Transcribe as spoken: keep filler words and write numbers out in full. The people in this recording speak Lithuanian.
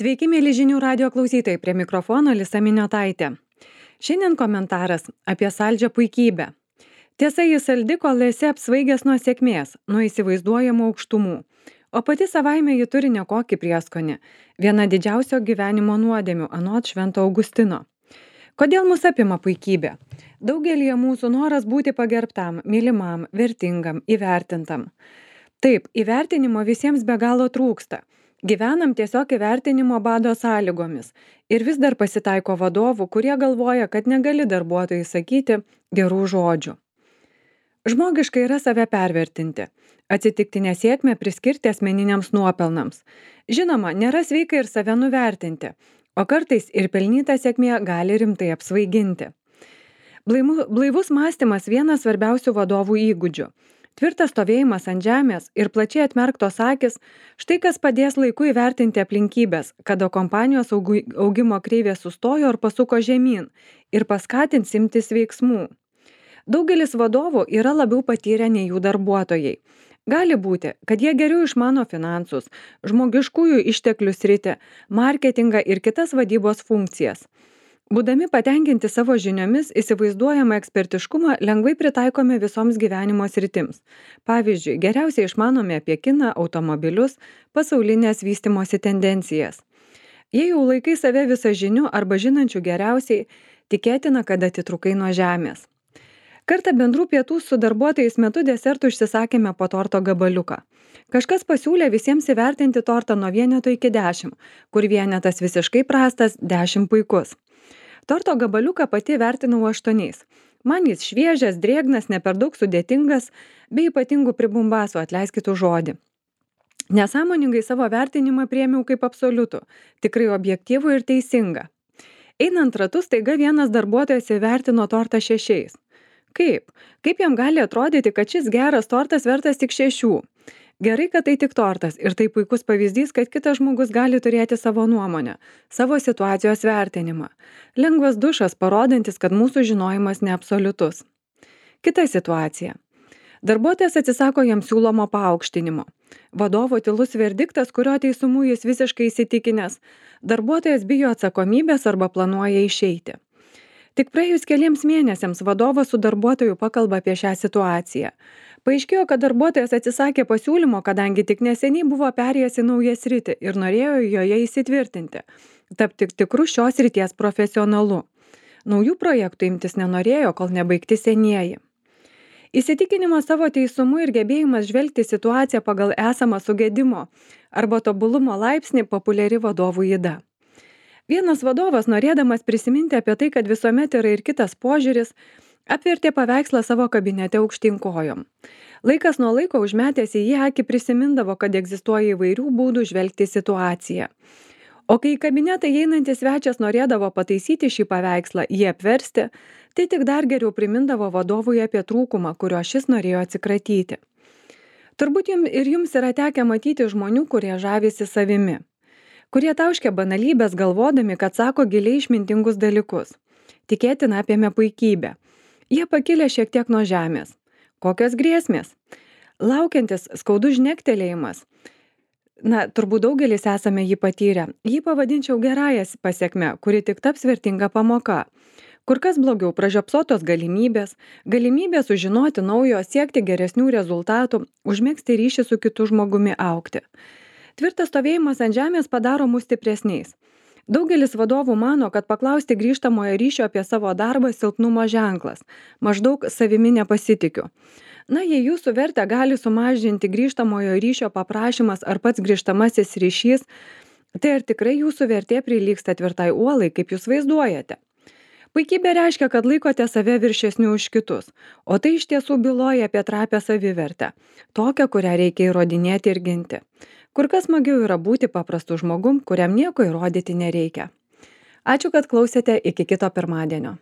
Sveiki, mėly žinių radio klausytojai, prie mikrofono Lisa Miniotaitė. Šiandien komentaras apie saldžią puikybę. Tiesa, jis saldi, kol esi apsvaigęs nuo sėkmės, nuo įsivaizduojamų aukštumų. O pati savaime ji turi nekokį prieskonį. Viena didžiausio gyvenimo nuodėmių, anot Švento Augustino. Kodėl mus apima puikybė? Daugelį mūsų noras būti pagerbtam, mylimam, vertingam, įvertintam. Taip, įvertinimo visiems be galo trūksta. Gyvenam tiesiog įvertinimo bado sąlygomis ir vis dar pasitaiko vadovų, kurie galvoja, kad negali darbuotojai sakyti gerų žodžių. Žmogiškai yra save pervertinti, atsitiktinę sėkmę priskirti asmeniniams nuopelnams. Žinoma, nėra sveika ir save nuvertinti, o kartais ir pelnyta sėkmė gali rimtai apsvaiginti. Blaimu, blaivus mąstymas vienas svarbiausių vadovų įgūdžių. Tvirtas stovėjimas ant žemės ir plačiai atmerktos akis, štai kas padės laiku įvertinti aplinkybės, kada kompanijos augimo kreivė sustojo ar pasuko žemyn ir paskatins imtis veiksmų. Daugelis vadovų yra labiau patyrę nei jų darbuotojai. Gali būti, kad jie geriau išmano finansus, žmogiškųjų išteklių sritį, marketingą ir kitas vadybos funkcijas. Būdami patenkinti savo žiniomis, įsivaizduojamą ekspertiškumą lengvai pritaikome visoms gyvenimo sritims. Pavyzdžiui, geriausiai išmanome apie kiną, automobilius, pasaulinės vystymosi tendencijas. Jei jau laikai save visažiniu arba žinančių geriausiai, tikėtina, kad atitrukai nuo žemės. Kartą bendrų pietų su darbuotojais metu desertų užsisakėme po torto gabaliuką. Kažkas pasiūlė visiems įvertinti tortą nuo vieneto iki dešimt, kur vienetas visiškai prastas, dešimt puikus. Torto gabaliuką pati vertinau aštuoniais. Man jis šviežias, drėgnas, ne per daug sudėtingas, bei ypatingų pribumbasų, atleiskit už žodį. Nesąmoningai savo vertinimą priėmiau kaip absoliutų, tikrai objektyvų ir teisingą. Einant ratu, staiga vienas darbuotojas įvertino tortą šešiais. Kaip? Kaip jam gali atrodyti, kad šis geras tortas vertas tik šešių? Gerai, kad tai tik tortas ir tai puikus pavyzdys, kad kitas žmogus gali turėti savo nuomonę, savo situacijos vertinimą. Lengvas dušas, parodantis, kad mūsų žinojimas neabsoliutus. Kita situacija. Darbuotojas atsisako jam siūlomo paaukštinimo. Vadovo tylus verdiktas, kurio teisumu jis visiškai įsitikinęs. Darbuotojas bijo atsakomybės arba planuoja išeiti. Tik praėjus keliems mėnesiams vadovas su darbuotoju pakalba apie šią situaciją. Paaiškėjo, kad darbuotojas atsisakė pasiūlymo, kadangi tik neseniai buvo perėjęs į naują sritį ir norėjo joje įsitvirtinti, tapti tikrų šios srities profesionalu. Naujų projektų imtis nenorėjo, kol nebaigti senieji. Įsitikinimas savo teisumu ir gebėjimas žvelgti situaciją pagal esamą sugedimo arba tobulumo laipsnį populiari vadovų yda. Vienas vadovas, norėdamas prisiminti apie tai, kad visuomet yra ir kitas požiūris, apvertė paveikslą savo kabinete aukštyn kojom. Laikas nuo laiko užmetęs į jį akį prisimindavo, kad egzistuoja įvairių būdų žvelgti situaciją. O kai į kabinetą įeinantis svečias norėdavo pataisyti šį paveikslą, jį apversti, tai tik dar geriau primindavo vadovui apie trūkumą, kurio šis norėjo atsikratyti. Turbūt jums ir jums yra tekę matyti žmonių, kurie žavisi savimi, kurie tauškia banalybės galvodami, kad sako giliai išmintingus dalykus. Tikėtina apėmė puikybę. Jie pakilę šiek tiek nuo žemės. Kokios grėsmės? Laukiantis skaudus žnektelėjimas. Na, turbūt daugelis esame jį patyrę. Jį pavadinčiau gerąją pasiekmę, kuri tik taps vertinga pamoka. Kur kas blogiau pražiopsotos galimybės, galimybė sužinoti naujo, siekti geresnių rezultatų, užmegzti ryšį su kitu žmogumi augti. Tvirtas stovėjimas ant žemės padaro mus stipresniais. Daugelis vadovų mano, kad paklausti grįžtamojo ryšio apie savo darbą silpnumo ženklas. Maždaug savimi nepasitikiu. Na, jei jūsų vertę gali sumažinti grįžtamojo ryšio paprašymas ar pats grįžtamasis ryšys, tai ar tikrai jūsų vertė prilygsta tvirtai uolai, kaip jūs vaizduojate? Puikybė reiškia, kad laikote save viršesniu už kitus, o tai iš tiesų byloja apie trapią savivertę, tokią, kurią reikia įrodinėti ir ginti. Kur kas smagiau yra būti paprastu žmogum, kuriam nieko įrodyti nereikia. Ačiū, kad klausėte, iki kito pirmadienio.